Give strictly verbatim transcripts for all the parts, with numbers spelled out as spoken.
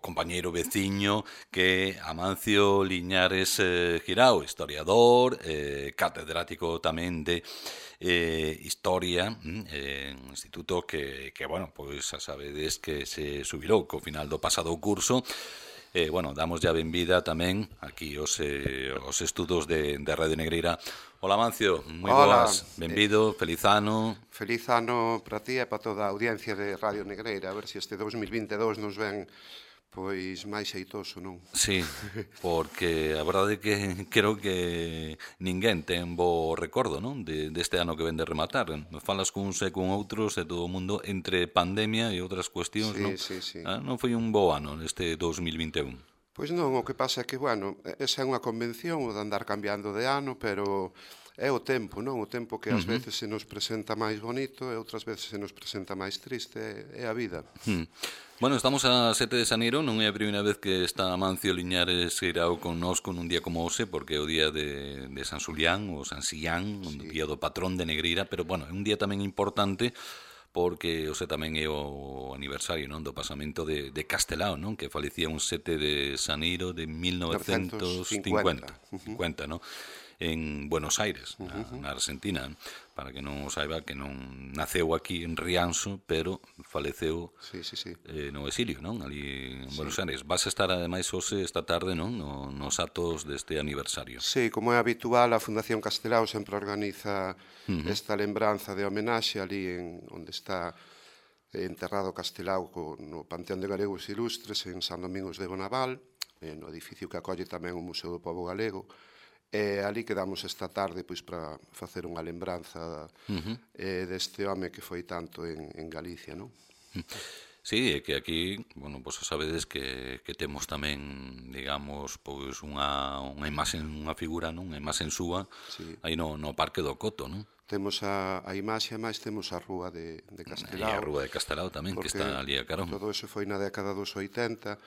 compañeiro veciño que Amancio Liñares eh, Girao, historiador, eh, catedrático tamén de eh, Historia, eh, un instituto que, que, bueno, pois xa sabedes que se subilou co final do pasado curso. Eh, bueno, damos ya benvida tamén aquí os, eh, os estudos de, de Radio Negreira. Hola, Amancio, moi boas, benvido, eh, feliz ano. Feliz ano para ti e para toda a audiencia de Radio Negreira, a ver se este dous mil vinte e dous nos ven pois máis xeitoso, non? Sí, porque a verdade é que creo que ninguén ten bo recordo, non? De, deste ano que ven de rematar. Falas cuns e con outros e todo o mundo entre pandemia e outras cuestións, sí, non? Sí, sí. Ah, non foi un bo ano este dous mil vinte e un. Pois non, o que pasa é que, bueno, esa é unha convención o de andar cambiando de ano, pero é o tempo, non? O tempo que ás uh -huh. veces se nos presenta máis bonito e outras veces se nos presenta máis triste, é a vida. Hmm. Bueno, estamos a sete de xaneiro, non é a primeira vez que está Amancio Liñares Girao connosco nun día como hoxe, porque é o día de, de San Xulián, ou San Xillán, sí. O día do patrón de Negreira, pero, bueno, é un día tamén importante, porque hoxe tamén é o aniversario, non, do pasamento de, de Castelao, non, que falecía un sete de xaneiro de mil novecentos cincuenta, cincuenta, non, en Buenos Aires, na, uh -huh. na Argentina, para que non o saiba, que non naceu aquí en Rianxo, pero faleceu sí, sí, sí. Eh, no exilio, non, ali en sí. Buenos Aires. Vas a estar, ademais, hoxe, esta tarde, non, no, nos atos deste aniversario. Sí, como é habitual, a Fundación Castelao sempre organiza uh -huh. esta lembranza de homenaxe ali en onde está enterrado Castelao no Panteón de Galegos Ilustres en San Domingos de Bonaval, no edificio que acolle tamén o Museo do Pobo Galego. E ali quedamos esta tarde pois para facer unha lembranza uh -huh. eh, deste home que foi tanto en, en Galicia, non? Sí, é que aquí, bueno, vos sabedes que, que temos tamén, digamos, pois unha, unha imaxe, unha figura, non? Unha imaxe súa, sí. Aí no, no Parque do Coto, non? Temos a, a imaxe, máis temos a rúa de, de Castelao. E a rúa de Castelao tamén, que está ali a carón. Todo eso foi na década dos oitenta,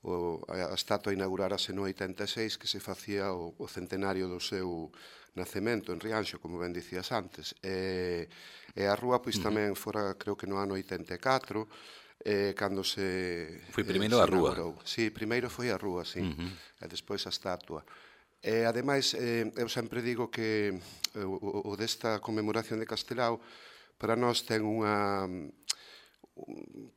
o, a, a estatua inaugurarase no oitenta e seis, que se facía o, o centenario do seu nacemento en Rianxo, como ben dicías antes. E, e a rúa, pois, uh -huh. tamén fora, creo que no ano oitenta e catro, eh, cando se... Foi primeiro eh, a rúa. Sí, primeiro foi a rúa, sí, uh -huh. e despois a estatua. E, ademais, eh, eu sempre digo que o, o desta conmemoración de Castelao para nós ten unha...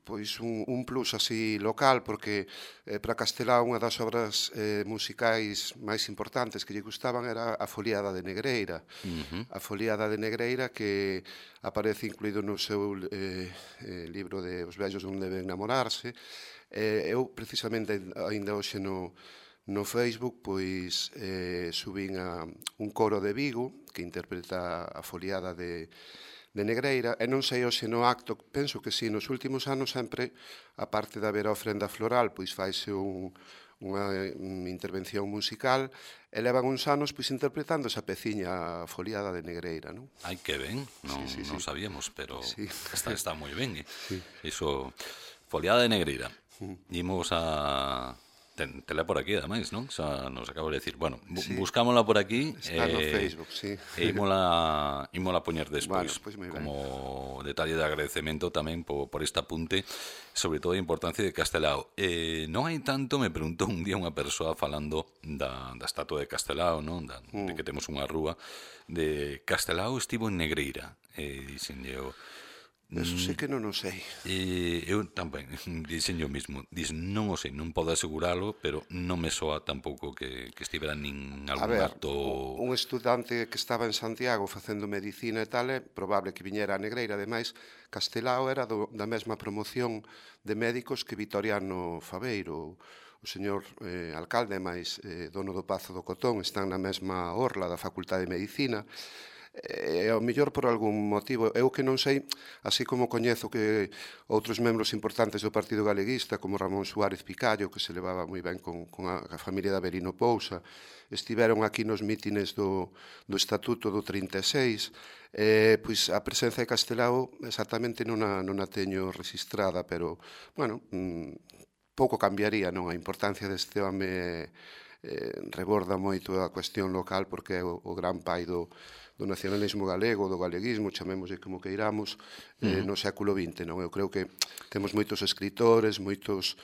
pois un, un plus así local, porque eh, para Castelao unha das obras eh, musicais máis importantes que lle gustaban era a Foliada de Negreira. Uh -huh. A Foliada de Negreira, que aparece incluído no seu eh, eh, libro de Os vellos non deben namorarse. Eh, eu, precisamente, ainda hoxe no, no Facebook, pois eh, subín a un coro de Vigo que interpreta a Foliada de de Negreira, e non sei hoxe no acto, penso que sí, nos últimos anos sempre, a parte de haber a ofrenda floral, pois faise un, unha un intervención musical, e levan uns anos pois interpretando esa peciña, a Foliada de Negreira, non? Ai, que ben, non, sí, sí, non sí. sabíamos, pero sí. está, está moi ben, eh? Sí. Iso, Foliada de Negreira. Imos a... Ten, tela por aquí, ademais, non? Xa nos acabo de decir. Bueno, bu sí. buscámola por aquí. Está eh, no Facebook, sí. E ímola, ímola poñer despois, bueno, pues como detalle de agradecemento tamén por, por este apunte, sobre todo a importancia de Castelao. Eh, non hai tanto, me preguntou un día unha persoa falando da, da estatua de Castelao, non? Da, mm. de que temos unha rúa, de Castelao estivo en Negreira. E dixen eu... Eso sí que non o sei. Eh, eu tamén, dixen yo mismo, dixen, non o sei, non podo aseguralo, pero non me soa tampouco que, que estivera nin algún ver, acto... un estudante que estaba en Santiago facendo medicina e tal, é probable que viñera a Negreira. Ademais, Castelao era do, da mesma promoción de médicos que Vitoriano Faveiro. O señor eh, alcalde, máis eh, dono do Pazo do Cotón, están na mesma orla da Facultade de Medicina. E ao mellor por algún motivo, eu que non sei, así como coñezo que outros membros importantes do Partido Galeguista, como Ramón Suárez Picallo, que se levaba moi ben con, con a, a familia de Avelino Pousa, estiveron aquí nos mítines do, do Estatuto do trinta e seis, eh, pois a presenza de Castelao exactamente non a, non a teño registrada, pero, bueno, mmm, pouco cambiaría, non? A importancia deste home eh, reborda moito a cuestión local, porque é o, o gran pai do do nacionalismo galego, do galeguismo, chamémoslle como queiramos, eh, no século vinte, non? Eu creo que temos moitos escritores, moitos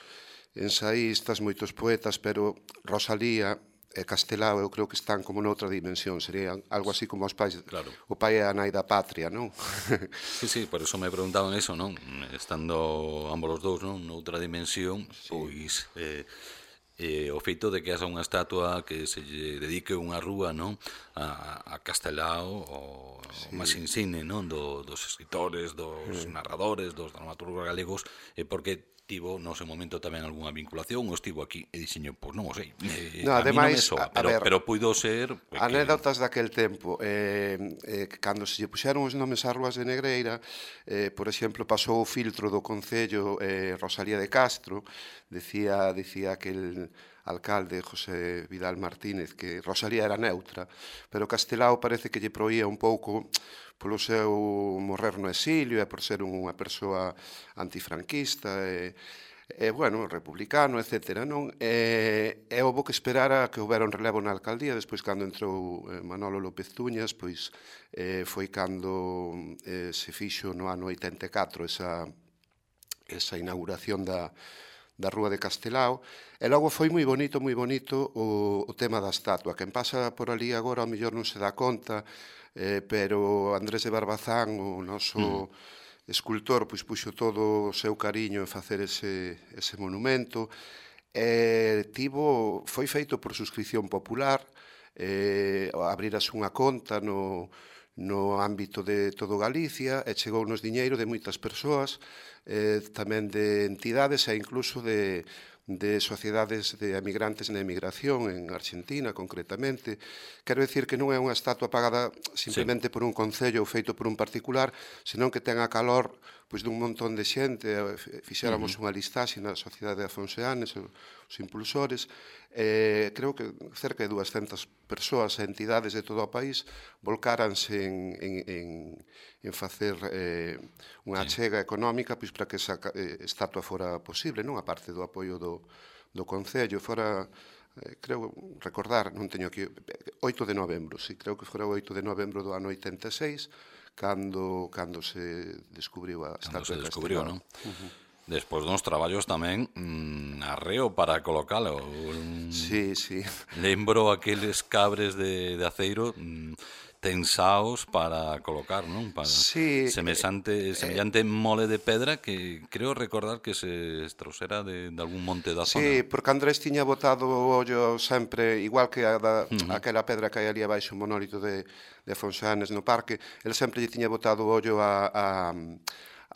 ensaístas, moitos poetas, pero Rosalía e Castelao eu creo que están como noutra dimensión, serían algo así como os pais, claro. O pai e a nai da patria, non? Sí, sí, por eso me preguntaban eso, non? Estando ambos os dous, non? Noutra dimensión, sí. Pois eh, eh, o feito de que haxa unha estatua que se lle dedique unha rúa, non? A, a Castelao, o, sí. o máis insigne, non? Do, dos escritores, dos sí. narradores, dos dramaturgos galegos, eh, porque tivo no seu momento tamén algunha vinculación ou estivo aquí e dixeño, pois non o sei, eh, no, a ademais, mí non me soa, pero, ver, pero puido ser que... anécdotas daquel tempo, eh, eh, cando se lle puxeron os nomes ás rúas de Negreira, eh, por exemplo, pasou o filtro do Concello eh, Rosalía de Castro, decía, decía aquel alcalde José Vidal Martínez que Rosalía era neutra, pero Castelao parece que lle proía un pouco polo seu morrer no exilio e por ser unha persoa antifranquista e, e bueno, republicano, etcétera, non? E, e houve que esperar a que houbera un relevo na alcaldía, despois cando entrou Manolo López Tuñas, pois eh, foi cando eh, se fixo no ano oitenta e catro esa, esa inauguración da da Rúa de Castelao, e logo foi moi bonito, moi bonito o, o tema da estatua. Quen pasa por ali agora ao mellor non se dá conta, eh, pero Andrés de Barbazán, o noso mm. escultor, pois puxo todo o seu cariño en facer ese, ese monumento, e tivo, foi feito por suscripción popular, eh, abrirase unha conta no... no ámbito de todo Galicia e chegou nos diñeiro de moitas persoas, eh, tamén de entidades e incluso de, de sociedades de emigrantes na emigración en Argentina, concretamente. Quero dicir que non é unha estatua pagada simplemente sí. por un concello ou feito por un particular, senón que ten a calor pois, dun montón de xente. Fixéramos uh -huh. unha listaxe na Sociedade de Afonseanes, os impulsores, eh, creo que cerca de duascentas persoas e entidades de todo o país volcáranse en, en, en, en facer eh, unha achega económica pois, para que esa eh, estatua fora posible, non? A parte do apoio do, do Concello, fora, eh, creo recordar, non teño aquí, oito de novembro, sí, creo que fora o oito de novembro do ano oitenta e seis, cando, cando se descubriu a estatua de Castelao. Cando se descubriu, non? Uh -huh. Despois dos traballos tamén mmm, arreo para colocalo. Um, sí, sí. Lembro aqueles cabres de, de aceiro mmm, tensaos para colocar, non? Para sí, semejante, eh, semellante mole de pedra que creo recordar que se extrausera de, de algún monte da zona. Sí, porque Andrés tiña botado o ollo sempre, igual que a da, uh -huh. aquela pedra que hai ali abaixo, o monólito de, de Afonseanes no parque, el sempre lle tiña botado o ollo a... a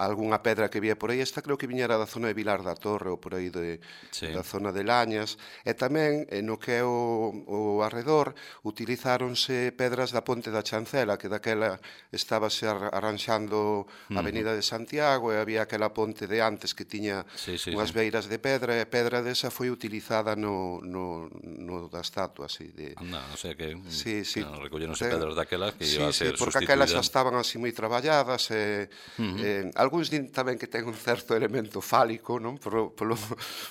algunha pedra que vía por aí. Esta creo que viñera da zona de Vilar da Torre ou por aí de, sí. da zona de Lañas, e tamén no que é o, o arredor utilizáronse pedras da Ponte da Chancela, que daquela estábase arranxando a Avenida de Santiago e había aquela ponte de antes que tiña sí, sí, unhas sí. beiras de pedra, e a pedra desa foi utilizada no, no, no da estatua así de... Anda, o sea que sí, sí. no, recolleronse pedras daquelas que sí, iba a ser sí, porque sustituída. aquelas xa estaban así moi traballadas e... Uh -huh. eh, algúns din tamén que ten un certo elemento fálico, non? Polo, polo,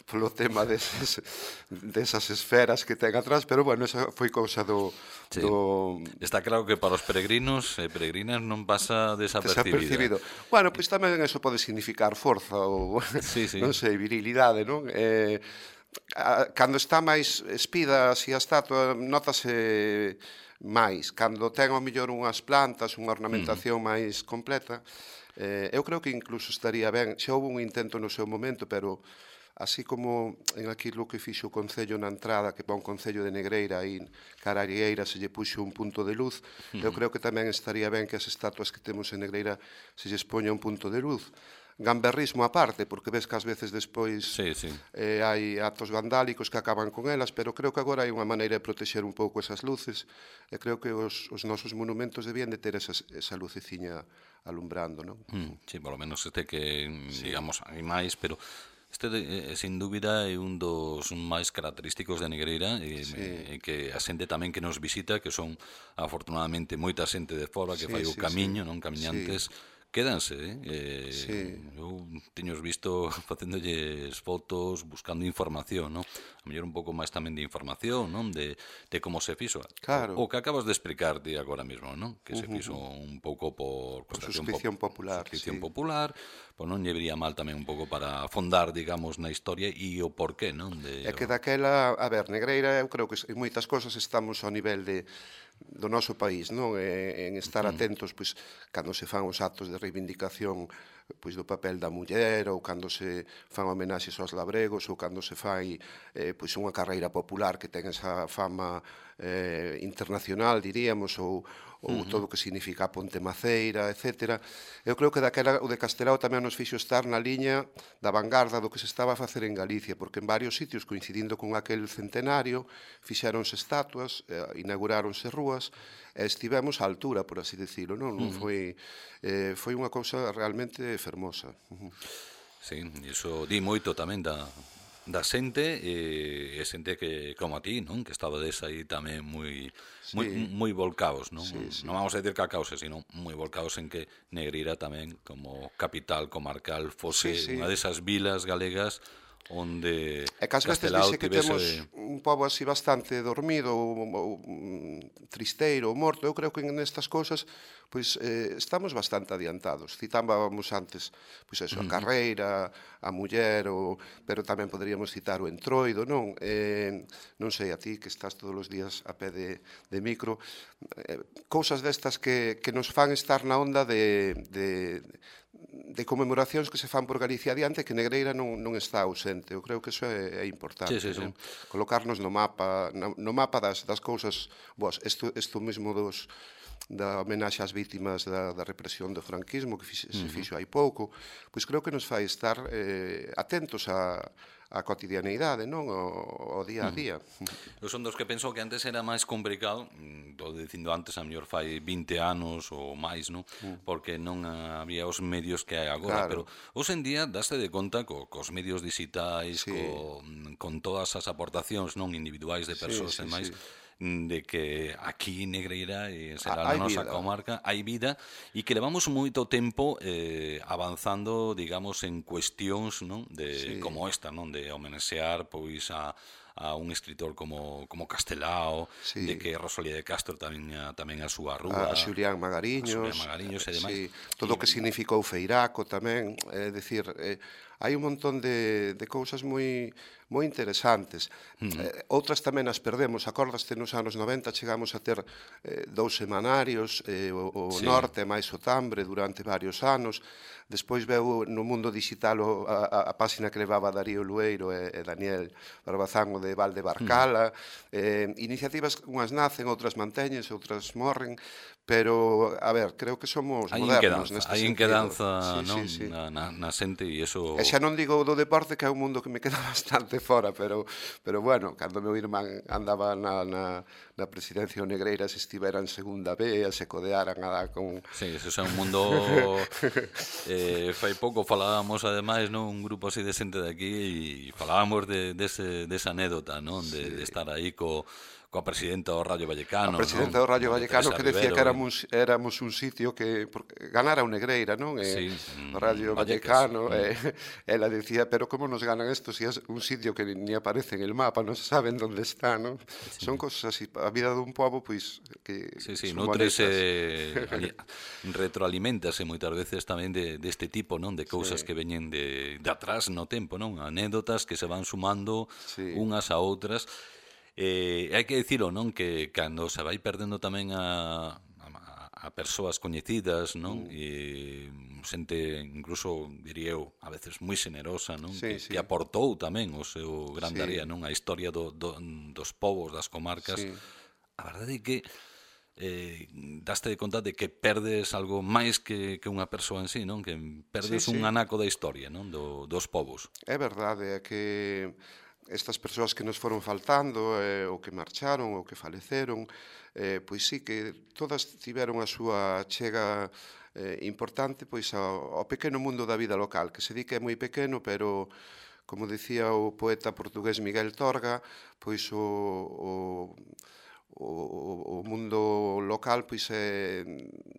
polo tema deses, desas esferas que ten atrás, pero bueno, esa foi cousa do, sí. do... Está claro que para os peregrinos e peregrinas non pasa desapercibida. desapercibido. Bueno, pois tamén eso pode significar forza ou, sí, sí. non sei, virilidade, non? Eh, cando está máis espida así a estatua, notase máis. Cando ten ao mellor unhas plantas, unha ornamentación uh -huh. máis completa, Eh, eu creo que incluso estaría ben, xa houve un intento no seu momento, pero así como en aquilo que fixo o Concello na entrada, que pa un Concello de Negreira aí cara a Arieira se lle puxo un punto de luz, uh -huh. eu creo que tamén estaría ben que as estatuas que temos en Negreira se lles poña un punto de luz. Gamberrismo aparte, porque ves que ás veces despois sí, sí. Eh, hai actos vandálicos que acaban con elas, pero creo que agora hai unha maneira de protexer un pouco esas luces, e creo que os, os nosos monumentos debían de ter esas, esa luceciña alumbrando, non? Mm, sí, por lo menos este que, sí. digamos, hai máis, pero este, eh, sin dúbida, é un dos máis característicos de Negreira e, sí. e que a xente tamén que nos visita, que son, afortunadamente, moita xente de fora que sí, fai o sí, camiño, sí. non, camiñantes, sí. quédanse, eh? Sí. Eu teños visto facéndolles fotos, buscando información, non? A mellor un pouco máis tamén de información, non? De, de como se fixo. Claro. O, o que acabas de explicarte agora mesmo, non? Que se fixo un pouco por, por suscripción pop, popular, suscripción sí. popular, pois non lle vería mal tamén un pouco para afondar, digamos, na historia e o porqué, non? De, É que daquela, a ver, Negreira, eu creo que en moitas cosas estamos ao nivel de do noso país, non? E, en estar atentos, pois, cando se fan os actos de reivindicación pois do papel da muller, ou cando se fan homenaxes aos labregos, ou cando se fai eh, pois unha carreira popular que ten esa fama eh, internacional, diríamos, ou, ou uh -huh. todo o que significa a Ponte Maceira, etcétera. Eu creo que daquela o de Castelao tamén nos fixo estar na liña da vanguarda do que se estaba a facer en Galicia, porque en varios sitios, coincidindo con aquel centenario, fixéronse estatuas, eh, inauguráronse rúas, e estivemos á altura, por así decirlo, non? Non foi, eh, foi unha cousa realmente fermosa. Uh -huh. Sí, iso di moito tamén da, da xente, e, e xente que, como a ti, non? Que estabades aí tamén moi, sí. moi, moi volcaos, non? Sí, sí. Non vamos a decir que a causa, sino moi volcaos en que Negreira tamén, como capital comarcal, fose sí, sí. unha desas vilas galegas onde e que ás veces dice que temos un pobo así bastante dormido ou, ou tristeiro ou morto. Eu creo que nestas cousas pois eh, estamos bastante adiantados. Citábamos antes pois eso, a carreira, a muller, o, pero tamén poderíamos citar o entroido, non? Eh, non sei, a ti que estás todos os días a pé de, de micro, eh, cousas destas que, que nos fan estar na onda de, de de conmemoracións que se fan por Galicia adiante, que Negreira non, non está ausente. Eu creo que iso é, é importante, sí, sí, non? Sí. Colocarnos no mapa, no, no mapa das, das cousas boas. Isto, isto mesmo dos da homenaxe ás vítimas da, da represión do franquismo que fixe, se fixo hai pouco, pois creo que nos fai estar eh, atentos a a cotidianeidade, non? O, o día a día. Eu son dos que penso que antes era máis complicado, estou dicindo antes, a mellor fai vinte anos ou máis, non? Porque non había os medios que hai agora, claro. Pero hoxe en día daste de conta co, cos medios digitais, sí. co, con todas as aportacións non individuais de persoas sí, sí, e máis, sí. de que aquí Negreira e será a nosa vida. Comarca hai vida e que levamos moito tempo eh, avanzando, digamos, en cuestións, non? De sí. Como esta, non? De homenaxear pois a a un escritor como como Castelao, sí. De que Rosalía de Castro tamén a, tamén a súa rúa, a Xulián Magariños, a Xulián Magariños e demais. Sí. Todo o que significou Feiraco tamén, é dicir, eh, hai un montón de, de cousas moi moi interesantes. Uh -huh. eh, outras tamén as perdemos. Acordaste, nos anos noventa chegamos a ter eh, dous semanarios, eh, o, o sí. Norte máis o Tambre durante varios anos. Despois veu no mundo digital o, a, a páxina que levaba Darío Lueiro e, e Daniel Barbazán, o de Valde Barcala. Uh -huh. eh, iniciativas, unhas nacen, outras manteñense, outras morren, pero, a ver, creo que somos hay modernos neste sentido. Hai inquedanza sí, non? Sí, sí. Na, na, na xente e iso... E xa non digo do deporte, que é un mundo que me queda bastante fora, pero, pero bueno, cando meu irmán andaba na, na, na presidencia Negreira, se estivera en segunda B, se codearan a dar con... Sí, eso é un mundo... eh, fai pouco falábamos, ademais, non? Un grupo así de xente de aquí e falábamos de, de ese, desa anécdota, non? De, sí. de estar aí co... coa presidenta do Rayo Vallecano. A presidenta non? do Rayo Vallecano que decía Rivero, que éramos, éramos un sitio que ganara o Negreira, non? Sí, o Rayo Vallecano, eh, ela decía, pero como nos ganan esto si es un sitio que ni aparece en el mapa, non saben onde está, non? Sí. Son cosas así, a vida dun pobo, pois, que sí, sí, nutrese, retroalimentase moitas veces tamén de, deste tipo, non? De cousas sí. que veñen de, de atrás no tempo, non? Anécdotas que se van sumando sí. unhas a outras. Eh, hai que dicilo, non? Que cando se vai perdendo tamén a, a, a persoas coñecidas, non? Mm. E xente, incluso, diría eu, a veces moi xenerosa, non? Sí, que, sí. que aportou tamén o seu grandaría, sí. non? A historia do, do, dos povos, das comarcas. Sí. A verdade é que eh, daste de conta de que perdes algo máis que, que unha persoa en sí, non? Que perdes sí, un sí. anaco da historia, non? Do, dos povos. É verdade, é que estas persoas que nos foron faltando, eh, ou que marcharon, ou que faleceron, eh, pois sí que todas tiveron a súa chega eh, importante pois ao, ao pequeno mundo da vida local, que se di que é moi pequeno, pero, como dicía o poeta portugués Miguel Torga, pois o, o, o, o mundo local pois é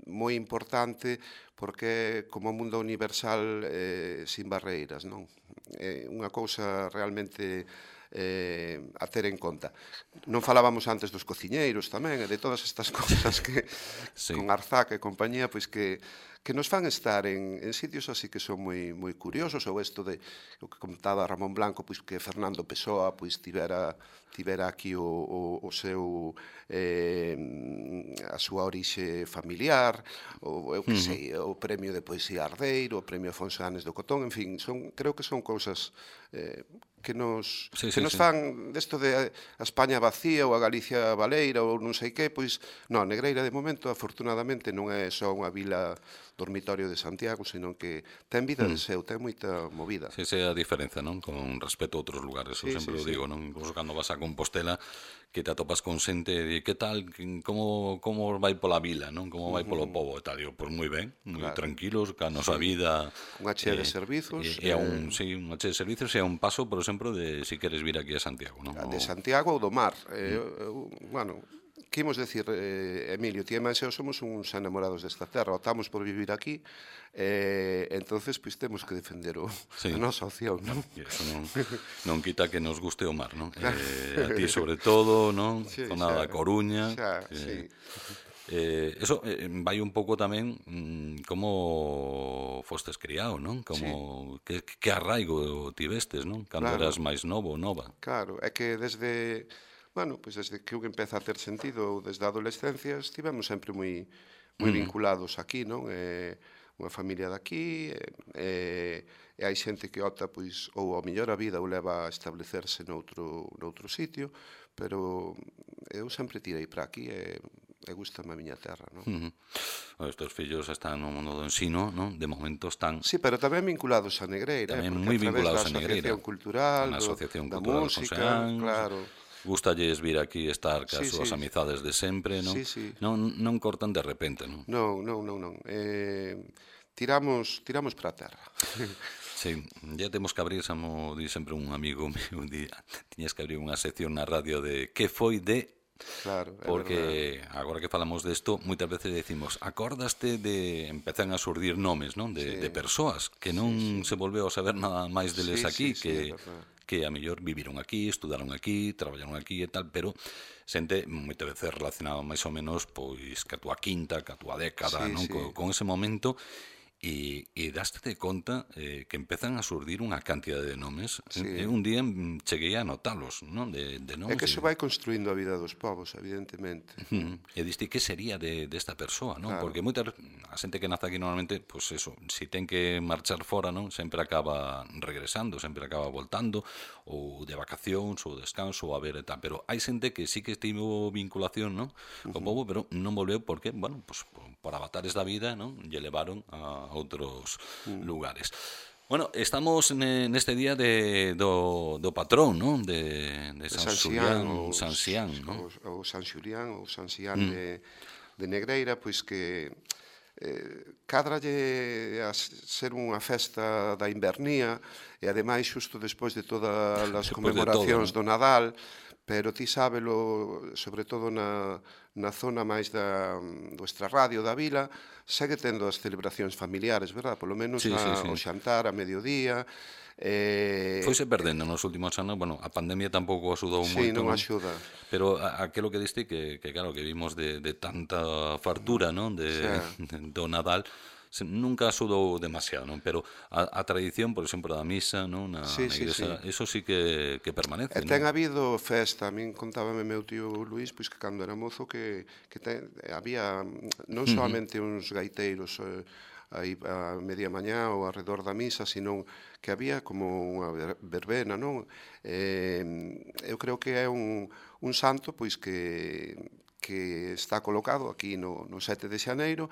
moi importante porque é como un mundo universal eh, sin barreiras, non? É unha cousa realmente eh, a ter en conta. Non falábamos antes dos cociñeiros tamén, e de todas estas cousas que sí. con Arzac e compañía, pois que que nos fan estar en, en sitios así que son moi moi curiosos, ou isto de o que contaba Ramón Blanco, pois que Fernando Pessoa pois tivera tivera aquí o, o, o seu eh, a súa orixe familiar, ou eu que uh-huh. sei, o premio de poesía Ardeiro, o premio Afonso Anes do Cotón, en fin, son creo que son cousas eh, que nos sí, que sí, nos sí. fan desto de a España vacía ou a Galicia baleira ou non sei que, pois non, Negreira de momento afortunadamente non é só unha vila dormitorio de Santiago, senón que ten vida mm. de seu, ten moita movida. Sí, esa é a diferenza, non? Con respecto a outros lugares, eu sí, sempre sí, o digo, sí. non? Incluso cando vas a Compostela, que te atopas con xente de que tal, como como vai pola vila, non? Como vai polo pobo e tal, digo, pois moi ben, moi claro. tranquilos, ca nosa sí. vida. Unha chea eh, de servizos. É eh, un, sí, unha chea de servizos e un paso, por exemplo, de si queres vir aquí a Santiago, non? De Santiago ou do mar. Eh, mm. Bueno, que imos decir, eh, Emilio, ti e Manseo somos uns enamorados desta terra, optamos por vivir aquí, eh, entonces pois temos que defender o, sí. a nosa opción, non? E eso non, non quita que nos guste o mar, non? Eh, a ti sobre todo, non? Sí, Zona da Coruña. Xa, eh, sí. Eh, eso eh, vai un pouco tamén mmm, como fostes criado, non? Como sí. que, que arraigo tivestes, non? Cando claro. eras máis novo ou nova. Claro, é que desde, bueno, pois pues desde que eu empeza a ter sentido, desde a adolescencia, estivemos sempre moi moi mm. vinculados aquí, non? Eh, unha familia daqui, eh, e hai xente que opta, pois, ou ao mellor a vida ou leva a establecerse noutro, noutro sitio, pero eu sempre tirei para aquí e e gustame a miña terra, non? Uh -huh. Os teus fillos están no mundo do ensino, non? De momento están... Sí, pero tamén vinculados a Negreira, tamén moi vinculados a Negreira. A cultural, a asociación da cultural música, José claro. Gústalles vir aquí estar cas sí, súas sí. amizades de sempre, non? Sí, sí. Non, non cortan de repente, non? Non, non, non, non. Eh, tiramos, tiramos para a terra. Sí, ya temos que abrir, samo di sempre un amigo meu, un día, tiñas que abrir unha sección na radio de que foi de... Claro, porque agora que falamos desto, moitas veces decimos, acordaste de empezan a surdir nomes, non? De, sí. de persoas que non sí, sí. se volveu a saber nada máis deles sí, aquí, sí, que sí, que a mellor viviron aquí, estudaron aquí, traballaron aquí e tal, pero xente moitas veces relacionado máis ou menos pois que a túa quinta, que a túa década, sí, non? Sí. Con, con ese momento. E, e daste conta eh, que empezan a surdir unha cantidade de nomes. Sí. E un día cheguei a notalos, non? De, de nomes. É que iso vai construindo a vida dos povos, evidentemente. Uh -huh. E diste, que sería de desta de persoa, non? Claro. Porque moita a xente que nace aquí normalmente, pois pues eso, si ten que marchar fora, non? Sempre acaba regresando, sempre acaba voltando, ou de vacacións, ou descanso, ou a ver e tal. Pero hai xente que sí que estivo vinculación, non? Co uh -huh. povo, pero non volveu porque, bueno, pues, por avatares da vida, non? Lle levaron a outros mm. lugares. Bueno, estamos neste día de, do, do patrón, non? De, de San, San Xulián, ou San Xián, non? Ou San Xulián, ou San Xián mm. de, de Negreira, pois que eh, cadralle a ser unha festa da invernía e ademais xusto despois de todas as conmemoracións de todo, do Nadal, pero ti sábelo, sobre todo na, na zona máis da, do extrarradio da vila, segue tendo as celebracións familiares, verdad? Polo menos sí, a, sí, sí. o xantar a mediodía. Eh, Foise perdendo nos últimos anos, bueno, a pandemia tampouco axudou sí, moito. Sí, non axuda. Pero aquelo que diste que, que claro, que vimos de, de tanta fartura, non? De, sí. de, do Nadal, nunca axudou demasiado, non? Pero a, a tradición, por exemplo, da misa, non? Na, sí, na sí, igrexa, sí. eso sí que, que permanece, e ten non? habido festa, a min contábame meu tío Luís, pois que cando era mozo que, que ten, había non solamente uh -huh. uns gaiteiros eh, aí a media mañá ou alrededor da misa, sino que había como unha verbena, non? Eh, eu creo que é un, un santo pois que, que está colocado aquí no, no sete de xaneiro,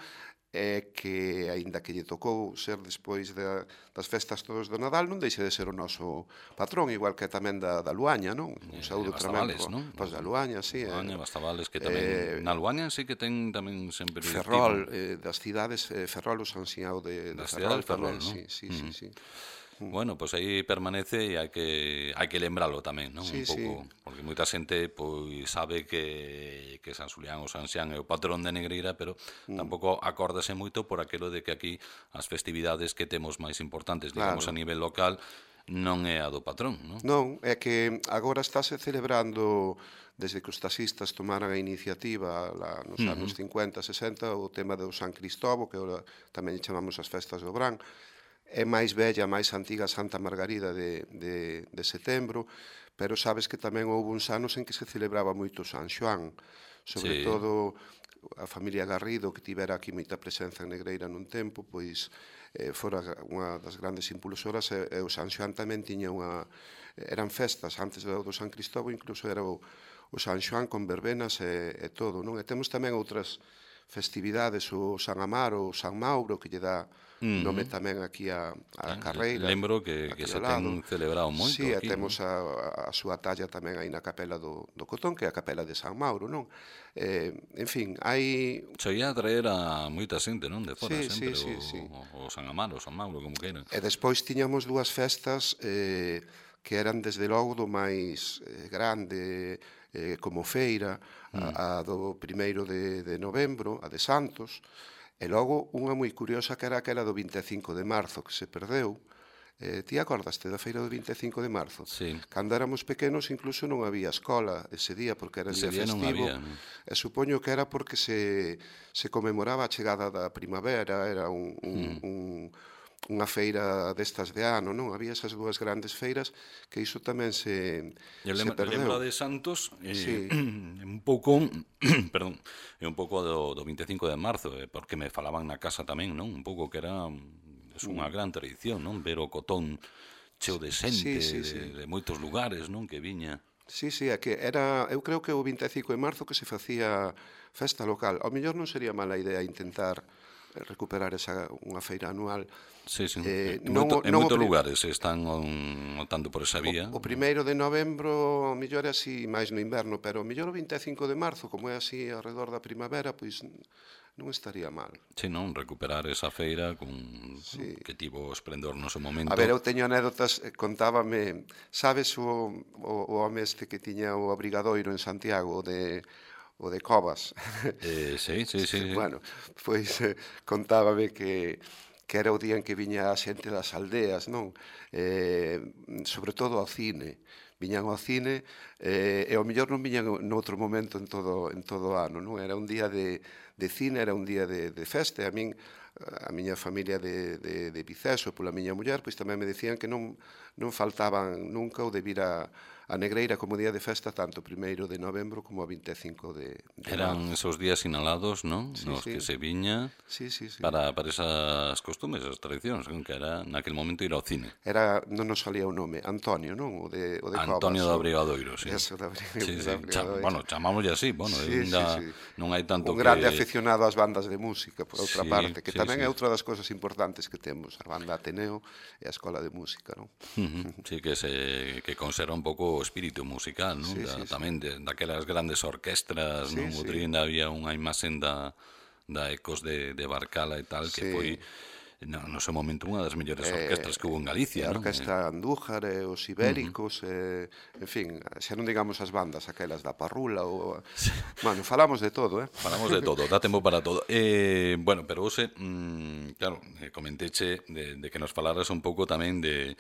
é que, aínda que lle tocou ser despois de, das festas todos do Nadal, non deixe de ser o noso patrón, igual que tamén da, da Luaña, non? Un saúdo tremendo pois da Luaña, sí. Luaña, Bastavales, que tamén, eh, na Luaña sí que ten tamén sempre... Ferrol, eh, das cidades, eh, Ferrol, o San Xiao de, de Ferrol, Ferrol, tamén, ¿no? sí, sí, mm. sí, sí. Bueno, pois pues aí permanece e hai que hai que lembralo tamén, non? Sí, un pouco, sí. Porque moita xente pois sabe que que San Xulián ou San Xián é o patrón de Negreira, pero mm. tampouco acórdase moito por aquilo de que aquí as festividades que temos máis importantes, digamos, claro. a nivel local, non é a do patrón, non? Non, é que agora estáse celebrando, desde que os taxistas tomaran a iniciativa lá nos Ujú. anos cincuenta, sesenta, o tema do San Cristóbal, que ora tamén chamamos as festas do Brán. É máis bella, máis antiga Santa Margarida de, de, de setembro, pero sabes que tamén houve uns anos en que se celebraba moito San Xoán, sobre Sí. todo a familia Garrido, que tivera aquí moita presenza en Negreira nun tempo, pois eh, fora unha das grandes impulsoras, e, e o San Xoán tamén tiña unha... eran festas, antes do, do San Cristóbal, incluso era o, o San Xoán con verbenas e, e todo, non? E temos tamén outras festividades, o San Amaro, o San Mauro, que lle dá nome tamén aquí a, a carreira. Lembro que, que se ten celebrado moito sí, aquí. Sí, temos a, a súa talla tamén aí na capela do, do Cotón, que é a capela de San Mauro, non? Eh, en fin, hai... Soía traer a moita xente, non? De fora, sí, sempre, sí, sí, o, sí. o San Amaro, o San Mauro, como queiran. E despois tiñamos dúas festas eh, que eran desde logo do máis eh, grande, eh, como feira, a, a do primeiro de, de novembro, a de Santos, e logo unha moi curiosa que era aquela do vinte e cinco de marzo, que se perdeu. Eh, ti acordaste da feira do vinte e cinco de marzo? Sí. Cando éramos pequenos incluso non había escola ese día, porque era Ese día día non festivo. había, non? E supoño que era porque se, se conmemoraba a chegada da primavera, era un, un, un, unha feira destas de ano, non? Había esas dúas grandes feiras que iso tamén se, Eu se lembro, perdeu. lembro de Santos, eh, Sí. un pouco, perdón, é un pouco do, do vinte e cinco de marzo, eh, porque me falaban na casa tamén, non? Un pouco que era es unha gran tradición, non? Ver o Cotón cheo de xente, Sí, sí, de, sí. de moitos lugares, non? Que viña. Sí, sí, é que era, eu creo que o vinte e cinco de marzo que se facía festa local. Ao mellor non sería mala idea intentar recuperar esa unha feira anual. Sí, sí. Eh, En, non moito, o- en non o moitos pri- lugares están on, optando por esa vía. O primeiro de novembro, ao mellor é así máis no inverno, pero ao mellor o vinte e cinco de marzo, como é así alrededor da primavera, pois non estaría mal. Sí, non? Recuperar esa feira con, Sí. que tivo esplendor no seu momento. A ver, eu teño anécdotas, eh, contábame, sabes o, o, o home este que tiña o abrigadoiro en Santiago, o de, o de Covas? Eh, sí, sí, sí. sí. Bueno, pois eh, contábame que que era o día en que viña a xente das aldeas, non? Eh, sobre todo ao cine. Viñan ao cine eh, e ao mellor non viñan noutro momento en todo en todo o ano, non? Era un día de, de cine, era un día de, de festa, e a min a miña familia de, de, de Viceso, pola miña muller, pois tamén me decían que non, non faltaban nunca o de vir a, a Negreira como día de festa tanto o primeiro de novembro como o vinte e cinco de, de Eran marzo. esos días sinalados, non? Sí, Nos sí. que se viña Sí, sí, sí. para, para esas costumes, esas tradicións, non? Que era naquel momento ir ao cine. Era, non nos salía o nome, Antonio, non? O de, o de Antonio Covas, do o- Abrigadoiro, sí. Eso, da Abrigadoiro. Sí, sí. da Cha, Abrigadoiro. bueno, chamámoslle así, bueno, Sí, ainda sí, sí. non hai tanto Un grande que... aficionado ás bandas de música, por outra Sí, parte, que sí, tamén sí. é outra das cousas importantes que temos, a banda Ateneo e a Escola de Música, non? Ujú, sí, que se que conserva un pouco o espírito musical, non? Sí, Da, sí, sí. tamén de, daquelas grandes orquestras, Sí, non? sí. Outro día ainda había unha imaxen da, da Ecos de, de Barcala e tal, que Sí. foi no, no seu momento unha das mellores orquestras que hubo en E Galicia, a non? Orquestra Andújar e os Ibéricos, e, en fin, xa non digamos as bandas aquelas da Parrula ou... Bueno, falamos de todo, eh? Falamos de todo, dá tempo para todo. Eh, bueno, pero hoxe, mm, claro, eh, comenteche de, de que nos falaras un pouco tamén de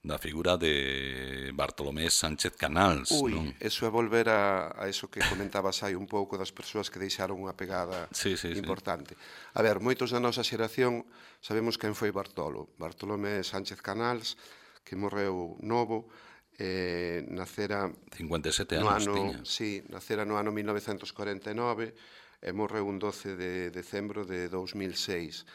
da figura de Bartolomé Sánchez Canals, Ui, non? eso é volver a, a eso que comentabas hai un pouco das persoas que deixaron unha pegada Sí, sí, sí. importante. A ver, moitos da nosa xeración sabemos quen foi Bartolo. Bartolomé Sánchez Canals, que morreu novo, eh, nacera cincuenta e sete no anos ano, tiña. sí, nacera no ano mil novecentos corenta e nove e morreu un doce de decembro de dous mil seis.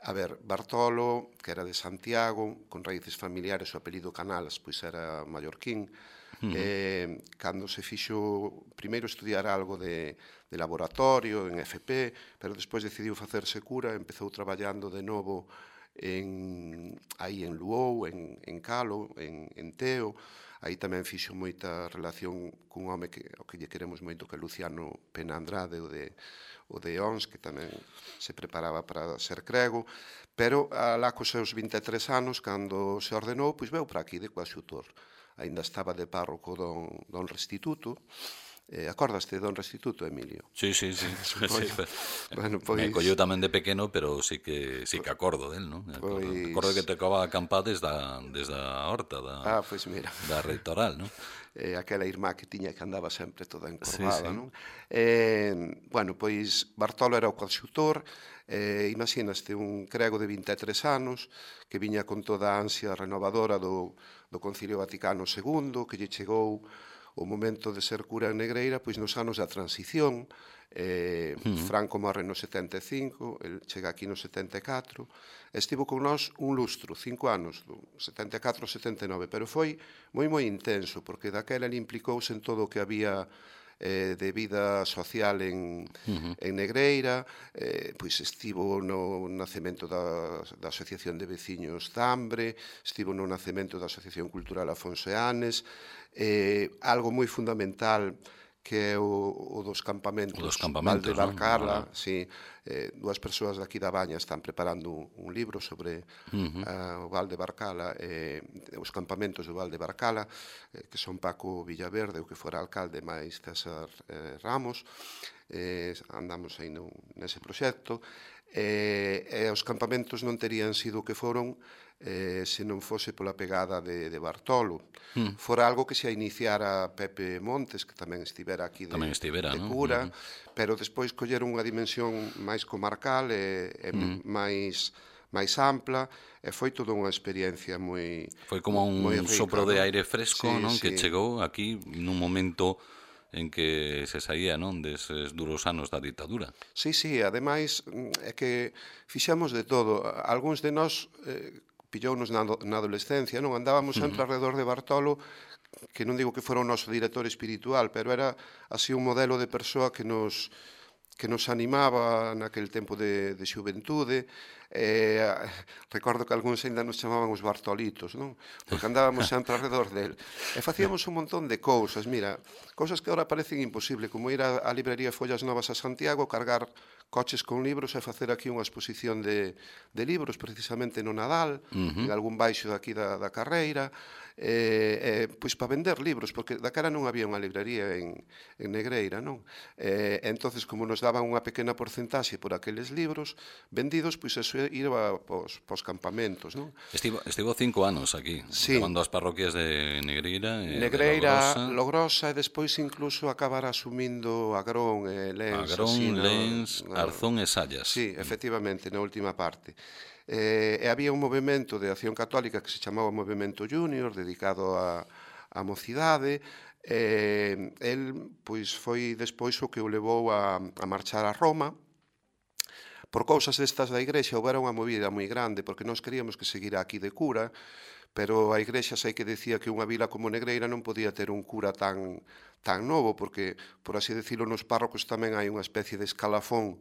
A ver, Bartolo, que era de Santiago, con raíces familiares, o apelido Canals, pois era mallorquín, uh -huh. eh, cando se fixo primeiro estudiar algo de, de laboratorio, en F P, pero despois decidiu facerse cura, empezou traballando de novo en, aí en Luou, en, en Calo, en, en Teo, aí tamén fixo moita relación cun home que, o que lle queremos moito, que é Luciano Pena Andrade, o de o de Ons, que tamén se preparaba para ser crego, pero alá cos seus vinte e tres anos, cando se ordenou, pois veu para aquí de Coaxutor. Ainda estaba de párroco don, don Restituto, Eh, acordaste don Restituto, Emilio? Sí, sí, sí. sí. Bueno, pois... Me colleu tamén de pequeno, pero sí que sí que acordo del, non? Acordo, Pois... acordo que te acaba a acampar desde a, desde a horta da, ah, pois mira. da reitoral, non? Eh, aquela irmá que tiña que andaba sempre toda Sí, encorvada, sí. non? Eh, bueno, pois Bartolo era o coadxutor, eh, imaginaste un crego de vinte e tres anos que viña con toda a ansia renovadora do, do Concilio Vaticano segundo, que lle chegou o momento de ser cura en Negreira pois nos anos da transición. eh, uh -huh. Franco morre no setenta e cinco, el chega aquí no setenta e catro, estivo con nós un lustro, cinco anos, do setenta e catro ao setenta e nove, pero foi moi moi intenso, porque daquela ele implicouse en todo o que había eh, de vida social en, uh -huh. en Negreira, eh, pois estivo no nacemento da, da Asociación de Veciños Zambre, estivo no nacemento da Asociación Cultural Afonso Eanes, eh, algo moi fundamental que é o, o dos campamentos, o dos campamentos Valde Barcala, ¿no? Ah. sí, eh, dúas persoas daqui da Baña están preparando un libro sobre uh -huh. uh, o Valde Barcala, eh, os campamentos do Valde Barcala, eh, que son Paco Villaverde, o que fora alcalde, máis César eh, Ramos, eh, andamos aí no, nese proxecto, eh, e os campamentos non terían sido o que foron eh, se non fose pola pegada de, de Bartolo. Mm. Fora algo que se iniciara Pepe Montes, que tamén estivera aquí de, estivera, de ¿no? cura, uh-huh. pero despois colleron unha dimensión máis comarcal e, e mm. máis máis ampla, e foi toda unha experiencia moi Foi como un rica, sopro ¿no? de aire fresco, sí, non? Sí. Que chegou aquí nun momento en que se saía, non, deses duros anos da ditadura. Sí, sí, ademais é que fixamos de todo. Algúns de nós eh, pillounos na, na adolescencia, non? Andábamos sempre uh -huh. alrededor de Bartolo, que non digo que fora o noso director espiritual, pero era así un modelo de persoa que nos que nos animaba naquele tempo de, de xuventude. Eh, recordo que algúns ainda nos chamaban os Bartolitos, non? Porque andábamos sempre alrededor del. E facíamos un montón de cousas, mira, cousas que agora parecen imposible, como ir á, á librería Follas Novas a Santiago, cargar coches con libros e facer aquí unha exposición de, de libros, precisamente no Nadal, uh -huh. en algún baixo daqui da, da carreira, eh, eh, pois para vender libros, porque da cara non había unha librería en, en Negreira, non? Eh, entonces, como nos daban unha pequena porcentaxe por aqueles libros vendidos, pois eso iba pos, pos campamentos, non? Estivo, estivo cinco anos aquí, sí. levando as parroquias de Negreira, e Negreira, de Logrosa. Logrosa, e despois incluso acabar asumindo Agrón e Lens. Agrón, así, Lens, no, no, Arzón e Sallas. Sí, efectivamente, na última parte. Eh, e había un movimento de acción católica que se chamaba Movimento Júnior, dedicado a, a mocidade. Eh, el pois foi despois o que o levou a, a marchar a Roma. Por cousas destas da Igrexa houbera unha movida moi grande, porque nós queríamos que seguira aquí de cura, pero a Igrexa sei que decía que unha vila como Negreira non podía ter un cura tan tan novo, porque, por así decirlo, nos párrocos tamén hai unha especie de escalafón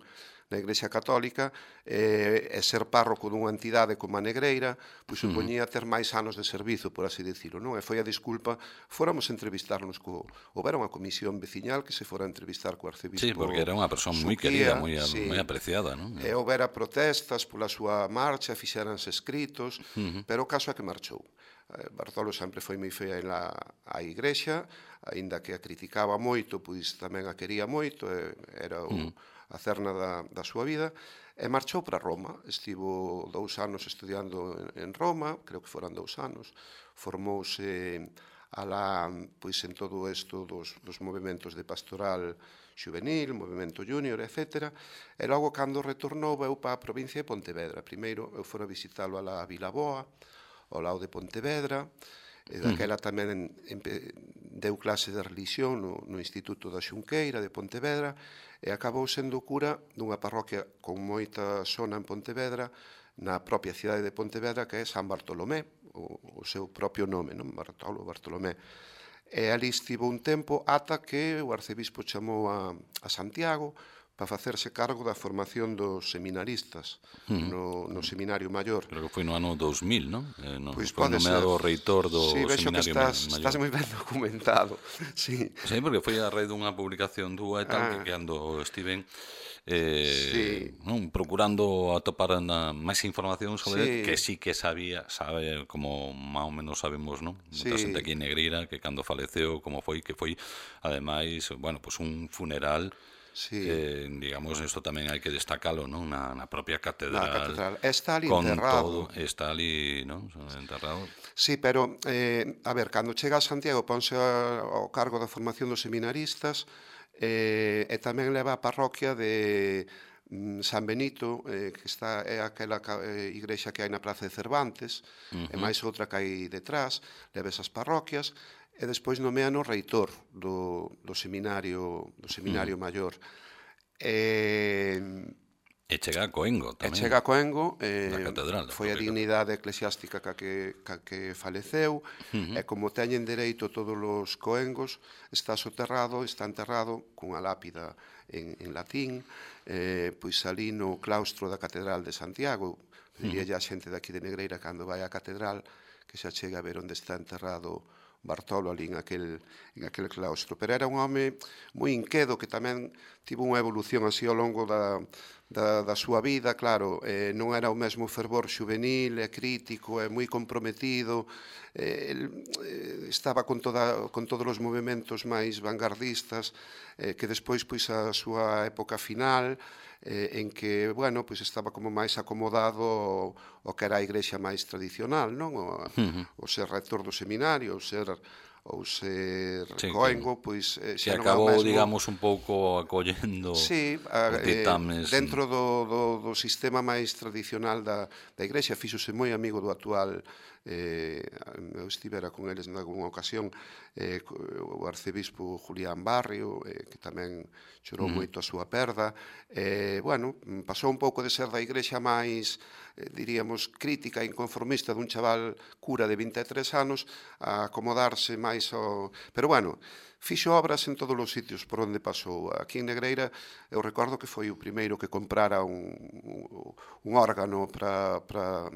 na Igrexa Católica, e, e ser párroco dunha entidade como a Negreira, pois supoñía ter máis anos de servizo, por así decirlo, non? E foi a disculpa, fóramos entrevistarnos co... Houbera unha comisión veciñal que se fora a entrevistar co arcebispo. Sí, porque era unha persoa moi querida, moi, sí. moi apreciada, non? E houbera protestas pola súa marcha, fixeranse escritos, uh -huh. pero o caso é que marchou. Bartolo sempre foi moi fea en la, a Igrexa, aínda que a criticaba moito, pois tamén a quería moito, era o... Uh -huh. a cerna da, da súa vida, e marchou para Roma. Estivo dous anos estudiando en Roma, creo que foran dous anos, formouse alá, pois, en todo isto dos, dos movimentos de pastoral juvenil, movimento júnior, etcétera. E logo, cando retornou, veu para a provincia de Pontevedra. Primeiro, eu fora visitalo a la Vilaboa, ao lado de Pontevedra, e daquela tamén deu clase de religión no, no Instituto da Xunqueira de Pontevedra, e acabou sendo cura dunha parroquia con moita zona en Pontevedra, na propia cidade de Pontevedra, que é San Bartolomé, o, o seu propio nome, non? Bartolo, Bartolomé. E ali estivo un tempo ata que o arcebispo chamou a, a Santiago para facerse cargo da formación dos seminaristas no, no seminario maior. Creo que foi no ano dous mil, non? Eh, no, Pois foi pode nomeado ser. reitor do sí, vexo que seminario estás, maior. estás moi ben documentado. Sí. Sí, porque foi a raíz dunha publicación túa e tal, Ah. que cando estiven eh, Sí. non, procurando atopar na, máis información sobre Sí. él, que sí que sabía, sabe, como máis ou menos sabemos, non? Moita Sí. xente aquí en Negreira, que cando faleceu, como foi, que foi, ademais, bueno, pues un funeral. Sí. Eh, digamos, isto tamén hai que destacalo, non? Na, na propia catedral. Na catedral. Está ali con enterrado. Todo, está ali, non? Enterrado. Sí, pero, eh, a ver, cando chega a Santiago ponse ao cargo da formación dos seminaristas eh, e tamén leva a parroquia de mm, San Benito, eh, que está é aquela eh, igrexa que hai na Praza de Cervantes, uh -huh. e máis outra que hai detrás, leva esas parroquias, e despois nomean o reitor do, do seminario do seminario uh -huh. maior. E, e chega a Coengo tamén. E chega a Coengo, eh, catedral, foi a dignidade eclesiástica ca que, ca que faleceu, uh -huh. e como teñen dereito todos os coengos, está soterrado, está enterrado cunha lápida en, en latín, eh, pois ali no claustro da Catedral de Santiago. Diría uh -huh. a xente daqui de Negreira cando vai á catedral que xa chega a ver onde está enterrado Bartolo ali en aquel, en aquel claustro. Pero era un home moi inquedo que tamén tivo unha evolución así ao longo da, da, da súa vida, claro, eh, non era o mesmo fervor juvenil, é crítico, é moi comprometido, eh, el, eh, estaba con, toda, con todos os movimentos máis vanguardistas, eh, que despois, pois, a súa época final, eh, en que, bueno, pois estaba como máis acomodado o, o que era a igrexa máis tradicional, non? O, uh -huh. o ser rector do seminario, o ser ou ser sí, coengo, pois eh, xa non acabou, mesmo, digamos, un pouco acollendo sí, a, os ditames. Eh, dentro do, do, do sistema máis tradicional da, da igrexa, fíxose moi amigo do actual, eh, eu estivera con eles nalgúna ocasión, eh, o arcebispo Julián Barrio, eh, que tamén chorou uh -huh. moito a súa perda. Eh, bueno, pasou un pouco de ser da igrexa máis, eh, diríamos, crítica e inconformista dun chaval cura de vinte e tres anos a acomodarse máis ao... Pero bueno, fixo obras en todos os sitios por onde pasou. Aquí en Negreira eu recordo que foi o primeiro que comprara un, un órgano para... para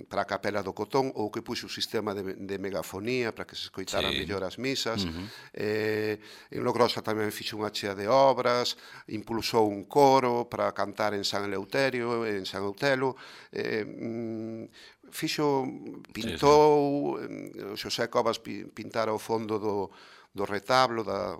para a capela do Cotón, ou que puxo o sistema de, de megafonía para que se escoitaran sí. mellor as misas. Uh -huh. eh, en Logrosa tamén fixo unha chea de obras, impulsou un coro para cantar en San Eleuterio, en San Eutelo, eh, fixo, pintou, sí, sí. Xosé Covas pintara o fondo do, do retablo da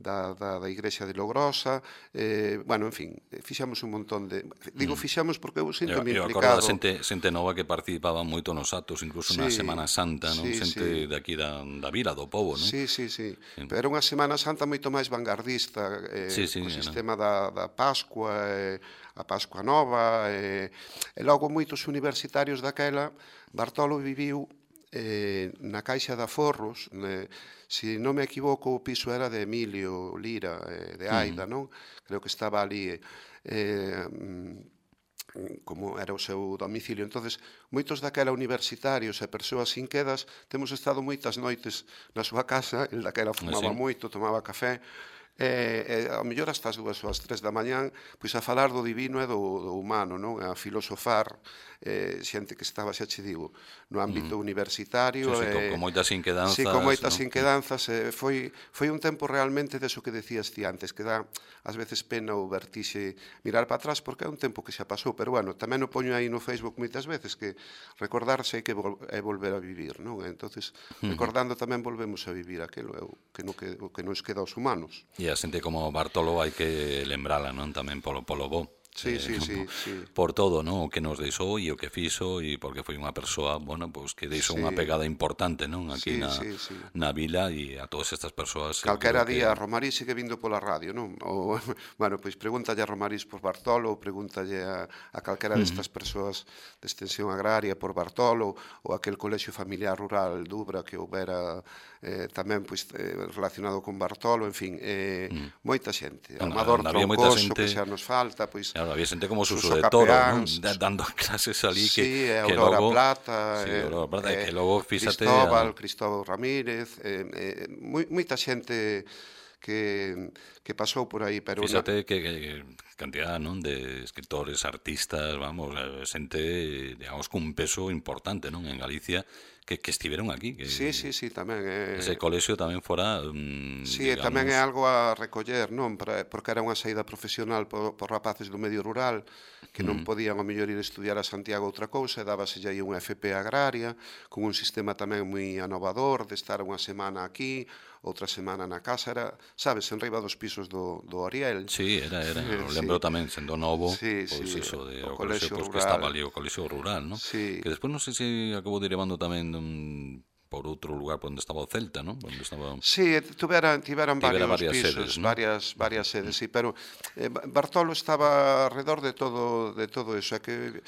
Da, da, da igrexa de Logrosa, eh, bueno, en fin, fixamos un montón de... Digo, fixamos porque eu sinto me implicado... Eu acordo da xente, xente nova que participaba moito nos actos, incluso sí, na Semana Santa, non? Sí, xente sí. daqui da, da vila, do pobo, non? Sí, sí, sí, sí. Pero era unha Semana Santa moito máis vanguardista, eh, sí, sí, o sistema no. da, da Pascua, eh, a Pascua Nova, eh, e logo moitos universitarios daquela, Bartolo viviu eh, na Caixa de Aforros, ne, se non me equivoco, o piso era de Emilio Lira, eh, de Aida, non? Creo que estaba ali, eh, como era o seu domicilio. Entonces, moitos daquela universitarios e persoas inquedas temos estado moitas noites na súa casa, el daquela fumaba sí. moito, tomaba café, e, e ao mellor hasta as dúas ou as tres da mañán, pois a falar do divino e do, do humano, non? A filosofar, eh, xente que estaba, xa che digo, no ámbito mm. universitario. Sí, sí, eh, con moitas inquedanzas. Sí, con moitas ¿no? inquedanzas. Eh, foi, foi un tempo realmente deso que decías ti antes, que dá ás veces pena ou vertixe mirar para atrás, porque é un tempo que xa pasou, pero bueno, tamén o poño aí no Facebook moitas veces, que recordarse é que vol é volver a vivir, non? Entonces, recordando tamén volvemos a vivir aquilo que, no que, que nos queda aos humanos. E a xente como Bartolo hai que lembrala, non? Tamén polo, polo bo. Sí, eh, sí, sí, sí. Por todo, non? O que nos deixou e o que fixo, e porque foi unha persoa, bueno, pues que deixou sí. unha pegada importante, non? Aquí sí, na, sí, sí. na vila, e a todas estas persoas. Calquera día que... Romarís sigue vindo pola radio, non? O, bueno, pois pregúntalle a Romarís por Bartolo, ou pregúntalle a, a calquera uh -huh. destas persoas de extensión agraria por Bartolo, ou aquel colexio familiar rural Dubra que houbera eh, tamén pois, eh, relacionado con Bartolo, en fin, eh, uh -huh. moita xente. Bueno, Amador Troncoso, que xa nos falta, pois... Claro, había xente como Suso, Suso de Toro, non? Dando clases ali que, sí, que Aurora logo... Plata, sí, eh, Aurora Plata, eh, que logo fíxate... Cristóbal, a... Cristóbal Ramírez, eh, eh, moita xente que, que pasou por aí. Pero fíxate na... que, que cantidad, non, de escritores, artistas, vamos, xente, digamos, cun peso importante, non, en Galicia, que, que estiveron aquí. Que sí, sí, sí, tamén. Eh... Ese colexio tamén fora, mm, sí, digamos... tamén é algo a recoller, non, para, porque era unha saída profesional por, por rapaces do medio rural, que non podían, ao mellor, ir estudiar a Santiago outra cousa, e dábaselle aí unha F P agraria, con un sistema tamén moi anovador, de estar unha semana aquí, outra semana na casa, era, sabes, en riba dos pisos do, do Ariel. Sí, era, era, eh, o lembro sí. tamén, sendo novo, sí, pois sí, iso, de, o, o colexio colexio, pois, rural. Que estaba ali o colexio rural, non? Sí. Que despois non sei se acabou derivando tamén un, por outro lugar por onde estaba o Celta, non? Onde estaba... Sí, tiveran, tiveran varios varias pisos, sedes, ¿no? varias, varias sedes, sí, pero eh, Bartolo estaba alrededor de todo, de todo eso, é que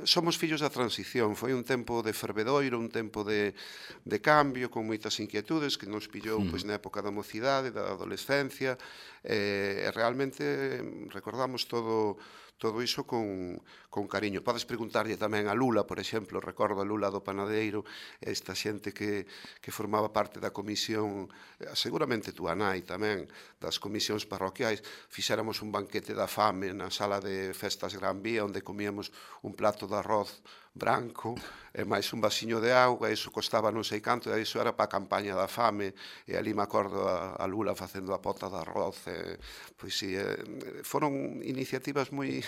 somos fillos da transición, foi un tempo de fervedoiro, un tempo de, de cambio, con moitas inquietudes que nos pillou mm. pois, na época da mocidade, da adolescencia, e, e realmente recordamos todo todo iso con, con cariño. Podes preguntarlle tamén a Lula, por exemplo, recordo a Lula do Panadeiro, esta xente que, que formaba parte da comisión, seguramente túa nai tamén, das comisións parroquiais, fixéramos un banquete da fame na sala de festas Gran Vía, onde comíamos un plato de arroz branco, e máis un vasiño de auga, e iso costaba non sei canto, e iso era para a campaña da fame, e ali me acordo a, a Lula facendo a pota de arroz, e, pois si, e, foron iniciativas moi,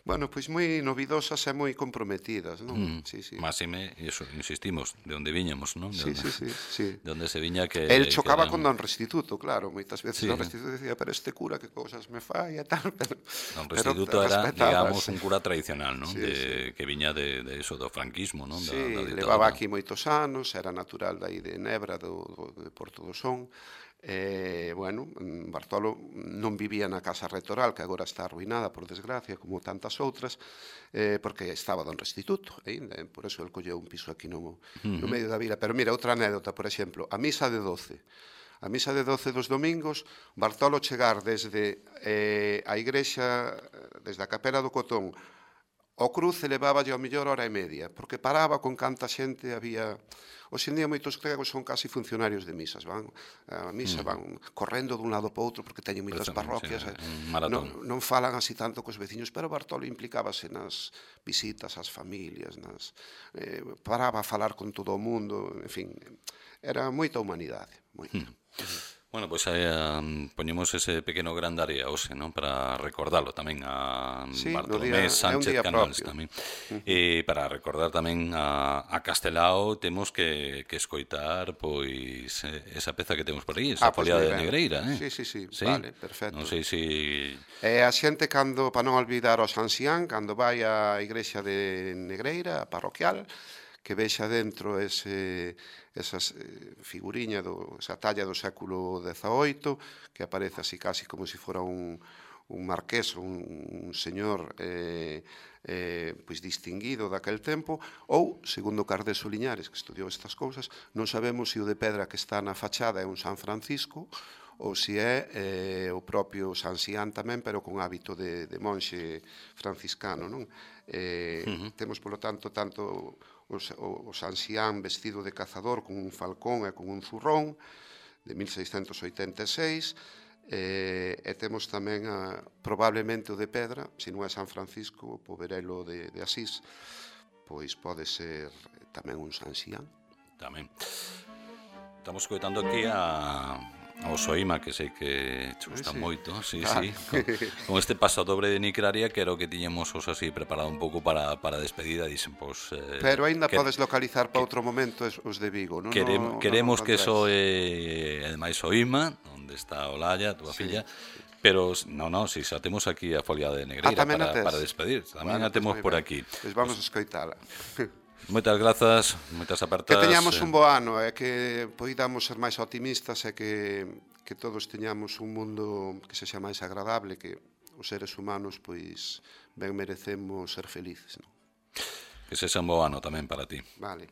bueno, pois moi novidosas e moi comprometidas, non? Mm, sí, sí. Máxime, iso, insistimos, de onde viñamos, non? De sí, onde, sí, sí, sí. De onde se viña que... El chocaba que era... con Don Restituto, claro, moitas veces sí. Don Restituto decía, pero este cura que cousas me fai e tal, pero... Don Restituto pero era, digamos, un cura tradicional, non? Sí, de, sí. Que viña de, de eso, do franquismo, non? Sí, da, da levaba aquí moitos anos, era natural dai de Nebra, do, do, de Porto do Son, e, bueno, Bartolo non vivía na casa rectoral, que agora está arruinada, por desgracia, como tantas outras, eh, porque estaba Don Restituto, e, por eso el colleu un piso aquí no, no medio da vila. Pero mira, outra anécdota, por exemplo, a misa de doce. A misa de doce dos domingos, Bartolo chegar desde eh, a igrexa, desde a capela do Cotón, o cruce leváballe ao mellor hora e media, porque paraba con canta xente había... Hoxe en día moitos gregos son casi funcionarios de misas, van a misa, van correndo dun lado para outro porque teñen moitas parroquias, non, non falan así tanto cos veciños, pero Bartolo implicábase nas visitas ás familias, nas, eh, paraba a falar con todo o mundo, en fin, era moita humanidade, moita. Hmm. Bueno, pois pues, eh, poñemos ese pequeno gran área hoxe, non? Para recordalo tamén a sí, Bartolomé día, Sánchez Canals tamén. Uh -huh. E para recordar tamén a, a Castelao temos que, que escoitar pois esa peza que temos por aí, esa ah, folia pues de Negreira, eh? Sí, sí, sí, ¿Sí? Vale, perfecto. Non sei se si... E a xente cando, para non olvidar o San Xián, cando vai á igrexa de Negreira, a parroquial, que vexa dentro ese, esas figuriña, do, esa talla do século dezaoito, que aparece así casi como se si fora un, un marqués, un, un señor eh, eh, pois distinguido daquel tempo, ou, segundo Cardeso Liñares, que estudiou estas cousas, non sabemos se o de pedra que está na fachada é un San Francisco, ou se é eh, o propio San Xián tamén, pero con hábito de, de monxe franciscano, non? Eh, uh -huh. Temos, polo tanto, tanto o, o San Xián vestido de cazador con un falcón e con un zurrón de mil seiscentos oitenta e seis, eh, e temos tamén a, probablemente o de pedra, se non é San Francisco, o poverelo de, de Asís, pois pode ser tamén un San Xián. Tamén. Estamos coitando aquí a... o Soima, que sei que te gusta sí. moito, sí, ah. sí. Con, con este pasadobre de Nicraria, que era o que tiñemos os así preparado un pouco para, para a despedida, dicen, pois... Eh, Pero aínda que, podes localizar para outro momento os de Vigo, non? Queremos, no, queremos no que eso é, ademais, Soima, onde está Olalla, túa sí, filla, sí. Pero, non, non, si xa temos aquí a folia de Negreira ah, para, para despedir, tamén bueno, a temos pues por aquí. Pois pues vamos pues, a escoitala. Moitas grazas, moitas apertas. Que teñamos un bo ano e que poidamos ser máis optimistas e que, que todos teñamos un mundo que sexa máis agradable, que os seres humanos pois ben merecemos ser felices, non? Que sexa un bo ano tamén para ti. Vale.